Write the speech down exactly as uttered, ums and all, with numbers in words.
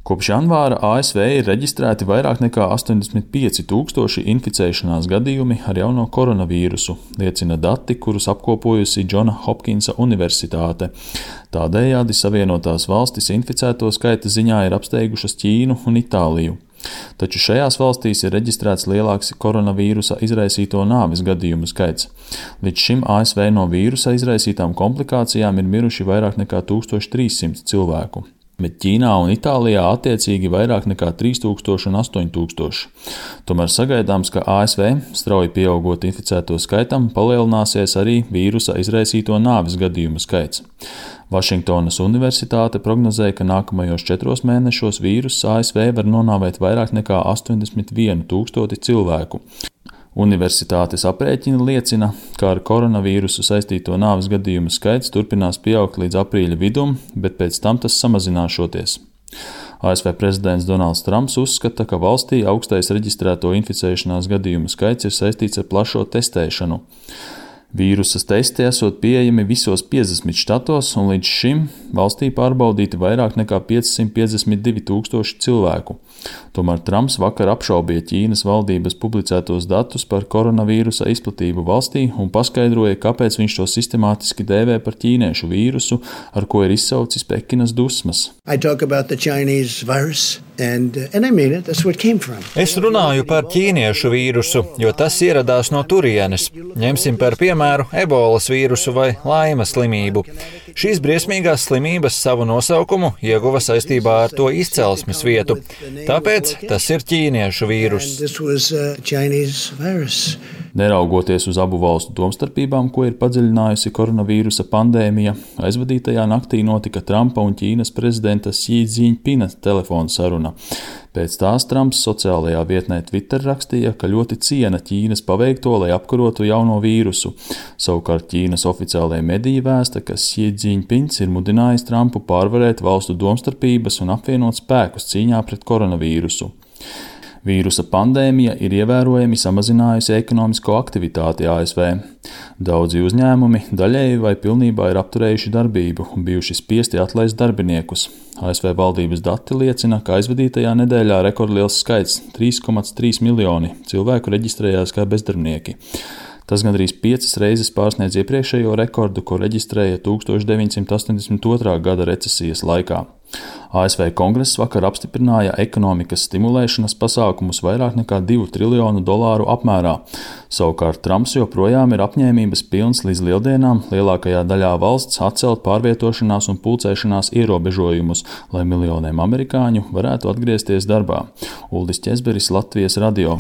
Kopš janvāra A S V ir reģistrēti vairāk nekā astoņdesmit pieci tūkstoši inficēšanās gadījumi ar jauno koronavīrusu, liecina dati, kurus apkopojusi Džona Hopkinsa Universitāte. Tādējādi Savienotās valstis inficēto skaita ziņā ir apsteigušas Ķīnu un Itāliju. Taču šajās valstīs ir reģistrēts lielāks koronavīrusa izraisīto nāves gadījumu skaits. Līdz šim A S V no vīrusa izraisītām komplikācijām ir miruši vairāk nekā tūkstoš trīs simti cilvēku. Bet Ķīnā un Itālijā attiecīgi vairāk nekā trīs tūkstoši un astoņi tūkstoši. Tomēr sagaidāms, ka A S V, strauji pieaugot inficēto skaitam, palielināsies arī vīrusa izraisīto nāves gadījumu skaits. Vašingtonas Universitāte prognozēja, ka nākamajos četros mēnešos vīruss A S V var nonāvēt vairāk nekā astoņdesmit vienu tūkstoti cilvēku. Universitātes aprēķini liecina, ka ar koronavīrusu saistīto nāves gadījumu skaits turpinās pieaugt līdz aprīļa vidum, bet pēc tam tas samazināšoties. A S V prezidents Donalds Trumps uzskata, ka valstī augstais reģistrēto inficēšanās gadījumu skaits ir saistīts ar plašo testēšanu. Vīrusa testi esot pieejami visos piecdesmit štatos, un līdz šim valstī pārbaudīti vairāk nekā piecsimt piecdesmit divi tūkstoši cilvēku. Tomēr Trumps vakar apšaubīja Ķīnas valdības publicētos datus par koronavīrusa izplatību valstī un paskaidroja, kāpēc viņš to sistemātiski dēvē par ķīniešu vīrusu, ar ko ir izsaucis Pekinas dusmas. And, and I mean it, that's where it came from. Es runāju par ķīniešu vīrusu, jo tas ieradās no turienes. Ņemsim par piemēru ebolas vīrusu vai laimas slimību. Šīs briesmīgās slimības savu nosaukumu ieguva saistībā ar to izcelsmes vietu. Tāpēc tas ir ķīniešu vīruss. Neraugoties uz abu valstu domstarpībām, ko ir padziļinājusi koronavīrusa pandēmija, aizvadītajā naktī notika Trumpa un Ķīnas prezidenta Xi Jinpinga telefona saruna. Pēc tās Trumps sociālajā vietnē Twitter rakstīja, ka ļoti ciena Ķīnas paveikto, lai apkarotu jauno vīrusu. Savukārt Ķīnas oficiālajā mediji vēsta, ka Xi Jinpings ir mudinājis Trumpu pārvarēt valstu domstarpības un apvienot spēkus cīņā pret koronavīrusu. Vīrusa pandēmija ir ievērojami samazinājusi ekonomisko aktivitāti A S V. Daudzi uzņēmumi daļēji vai pilnībā ir apturējuši darbību un bijuši spiesti atlaist darbiniekus. A S V valdības dati liecina, ka aizvadītajā nedēļā rekordliels skaits – trīs komats trīs miljoni cilvēku reģistrējās kā bezdarbnieki. Tas gandrīz piecas reizes pārsniedz iepriekšējo rekordu, ko reģistrēja tūkstoš deviņsimt astoņdesmit otrā gada recesijas laikā. A S V kongress vakar apstiprināja ekonomikas stimulēšanas pasākumus vairāk nekā divu triljonu dolāru apmērā. Savukārt Trumps joprojām ir apņēmības pilns līdz lieldienām lielākajā daļā valsts atcelt pārvietošanās un pulcēšanās ierobežojumus, lai miljoniem amerikāņu varētu atgriezties darbā. Uldis Ķezberis, Latvijas radio.